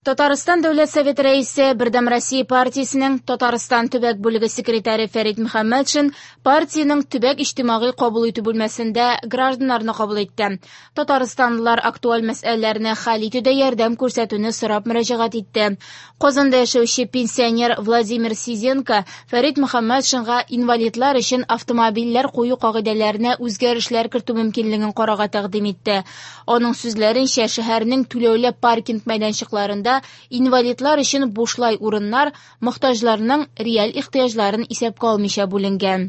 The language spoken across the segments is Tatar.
Татарстан Дәүләт Советы Рәисе, Бердәм Россия партиясенең Татарстан төбәк бүлеге секретаре Фәрит Мөхәммәтшин партиянең төбәк иҗтимагый кабул итү бүлмәсендә гражданнарны кабул итте. Татарстанлылар актуаль мәсьәләләрне хәл итүдә ярдәм күрсәтүне сорап мөрәҗәгать итте. Казанда яшәүче пенсионер Владимир Сизенко Фәрит Мөхәммәтшинга инвалидлар өчен автомобильләр кую кагыйдәләренә үзгәрешләр кертү мөмкинлеген карарга тәкъдим итте. Аның сүзләренчә, шәһәрнең түләүле паркинг мәйданчыкларында инвалидлар өчен бушлай урыннар мохтаҗларның реаль ихтыяҗларын исәпкә алмыйча бүленгән.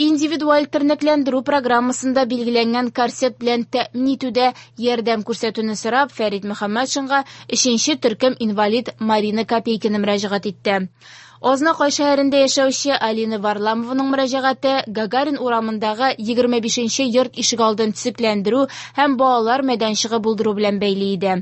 Индивидуаль тернәкләндерү программасында билгеләнгән корсет белән тәэмин итүдә ярдәм күрсәтүне сорап, Фәрит Мөхәммәтшинга өченче төркем инвалид Марина Копейкина мөрәҗәгать итте. Азнакай шәһәрендә яшәүче Алина Варламованың мөрәҗәгате Гагарин урамындагы 25 нче йорт ишегалдын төзекләндерү һәм балалар мәйданчыгы булдыру белән бәйле иде.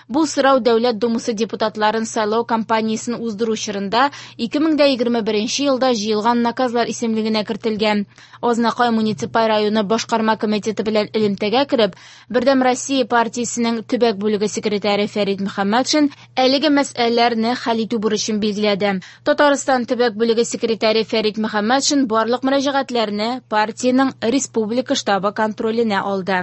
Бу сорау Дәүләт Думасы депутатларын сайлау кампаниясен уздыру чорында 2021 елда җыелган наказлар исемлегенә кертелгән. Азнакай муниципаль районы башкарма комитеты белән элемтәгә кереп, Бердәм Россия партиясенең төбәк бүлеге секретаре Фәрит Мөхәммәтшин әлеге мәсьәләләрне хәл итү бурычын билгеләде. Татарстан төбәк бүлеге секретаре Фәрит Мөхәммәтшин барлык мөрәҗәгатьләрне партиянең республика штабы контроленә алды.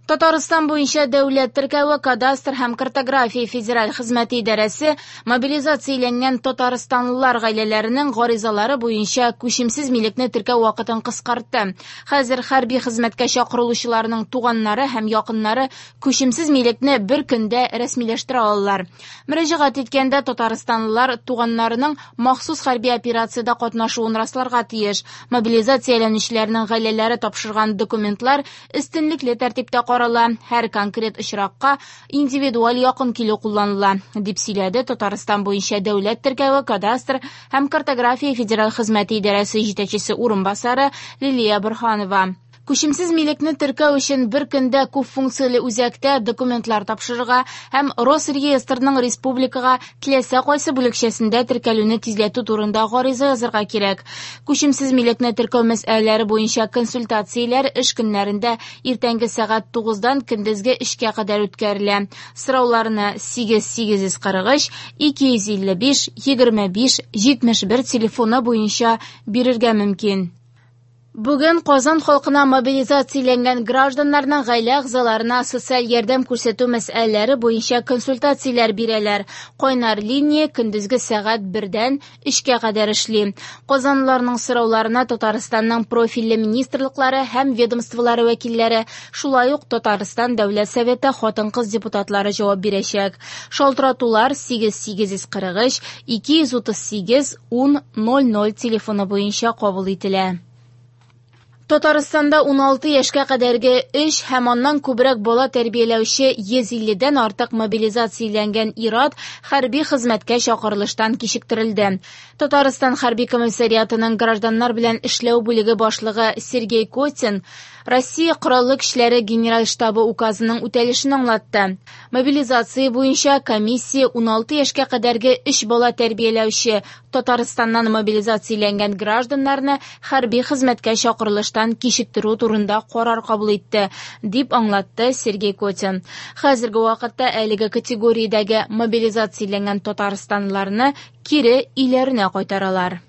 Татарстан буенча дәүләт теркәве, кадастр һәм картография федераль хезмәте идарәсе мобилизацияләнгән татарстанлылар гаиләләренең гаризалары буенча күчемсез милекне теркәү вакытын кыскартты. Хәзер хәрби хезмәткә чакырылучыларның туганнары һәм якыннары күчемсез милекне бер көндә рәсмиләштерә алалар. Мөрәҗәгать иткәндә татарстанлылар туганнарының махсус хәрби операциядә катнашуын расларга тиеш. Мобилизацияләнүчеләрнең гаиләләре тапшырган документлар өстенлекле тәртиптә карала, һәр конкрет очракка индивидуаль якын килү кулланыла, дип сөйләде Татарстан буенча дәүләт теркәве, кадастр һәм картография федераль хезмәте идарәсе җитәкчесе урынбасары Лилия Борһанова. Күчемсез милекне теркәү өчен бер көндә күп функцияле үзәктә документлар тапшырырга һәм Росреестрның республикага теләсә кайсы бүлекчәсендә теркәлүне тизләтү турында гариза язарга кирәк. Күчемсез милекне теркәү мәсьәләләре буенча консультацияләр эш көннәрендә иртәнге сәгать 9-дан көндезге 3-кә кадәр үткәрелә. Сорауларны 8 843 255 25 71 телефоны буенча бирергә мөмкин. Бүген Казан халкына мобилизацияләнгән гражданнарның гаилә әгъзаларына социаль ярдәм күрсәтү мәсьәләләре буенча консультацияләр бирәләр. Кайнар линия көндезге сәгать 1-дән 3-кә кадәр эшли. Казанлыларның сорауларына Татарстанның профильле министрлыклары һәм ведомстволары вәкилләре, шулай ук Татарстан Дәүләт Советы хатын-кыз депутатлары җавап бирәчәк. Шалтыратулар 8 843 238 10 00 телефоны буенча кабул ителә. Татарстанда 16 яшькә кадәрге 3 һәм аннан күбрәк бала тәрбияләүче 150-дән артык мобилизацияләнгән ир-ат хәрби хезмәткә чакырылыштан кичектерелде. Татарстан хәрби комиссариатының гражданнар белән эшләү бүлеге башлыгы Сергей Котин Россия Кораллы көчләре Генераль штабы указының үтәлешен аңлатты. Мобилизация буенча комиссия 16 яшькә кадәрге 3 бала тәрбияләүче Татарстаннан мобилизацияләнгән гражданнарны хәрби хезмәткә чакырылыштан кичектерү турында карар кабул итте, дип аңлатты Сергей Котин. Хәзерге вакытта әлеге категориядәге мобилизацияләнгән татарстанлыларны кире өйләренә кайтаралар.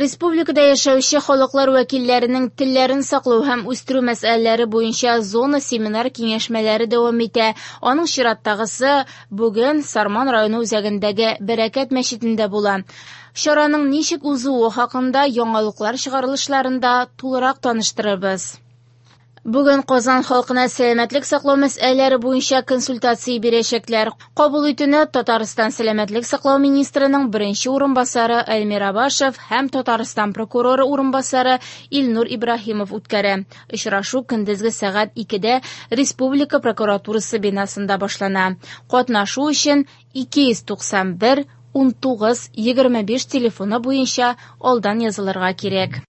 Республикада яшәүче халыклар вәкилләренең телләрен саклау һәм үстерү мәсьәләләре буенча зона семинар киңәшмәләре дәвам итә. Аның чираттагысы бүген Сарман районы үзәгендәге Бәрәкәт мәчетендә була. Чараның ничек узуы хакында яңалыклар чыгарылышларында тулырак таныштырырбыз. Бүген Казан халкына сәламәтлек саклау мәсьәләләре буенча консультация бирәчәкләр. Кабул итүне Татарстан сәламәтлек саклау министрының беренче урынбасары Эльмир Абашев һәм Татарстан прокуроры урынбасары Илнур Ибраһимов үткәрә. Очрашу көндезге сәгать 2-дә Республика прокуратурасы бинасында башлана. Катнашу өчен 291 19 25 телефоны буенча алдан язылырга кирәк.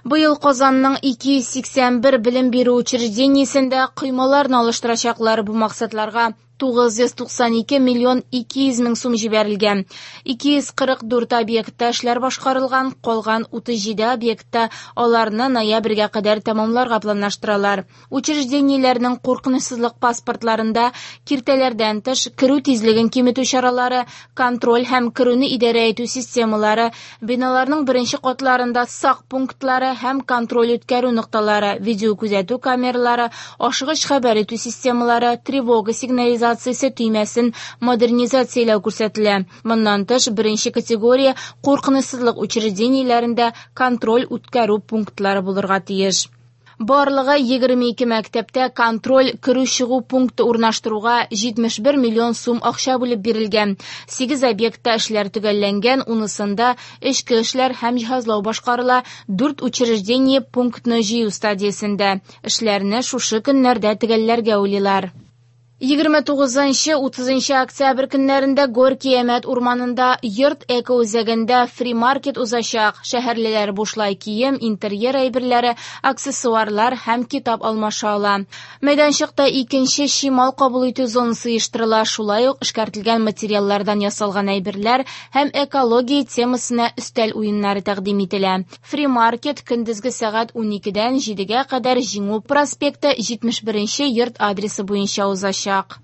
Быел Казанның 281 белем бирү учреждениесендә коймаларны алыштырачаклар. Бу максатларга 992 миллион 200 мең сум җибәрелгән. 244 объектта эшләр башкарылган, калган 37 объектта аларны ноябрьгә кадәр тәмамларга планлаштыралар. Учреждениеләрнең куркынычсызлык паспортларында киртәләрдән тыш, керү тизлеген киметү чаралары, контроль һәм керүне идарә итү системалары, биналарның беренче катларында сак пунктлары һәм контроль үткәрү нокталары, видеокүзәтү камералары, ашыгыч хәбәр итү системалары, тревога сигнализациясе төймәсен модернизацияләү күрсәтелә. Моннан тыш, беренче категория куркынычсызлык учреждениеләрендә контроль үткәрү пунктлары булырга тиеш. Барлыгы 22 мәктәптә контроль керү-чыгу пункты урнаштыруга 71 миллион сум акча бүлеп бирелгән. 8 объектта эшләр төгәлләнгән, унысында эчке эшләр һәм җиһазлау башкарыла, 4 учреждение пунктны җыю стадиясендә. Эшләрне шушы көннәрдә төгәлләргә уйлыйлар. 29-30 октябрь көннәрендә Горки-Әмәт урманында Йорт экоүзәгендә фри-маркет узачак. Шәһәрлеләр бушлай кием, интерьер әйберләре, аксессуарлар һәм китап алмаша ала. Мәйданчыкта икенче чимал кабул итү зонасы оештырыла, шулай ук эшкәртелгән материаллардан ясалган әйберләр һәм экология темасына өстәл уеннары тәкъдим ителә. Фри-маркет көндезге сәгать 12-дән 7-гә кадәр Җиңү проспекты 71 нче йорт адресы буенча узачак.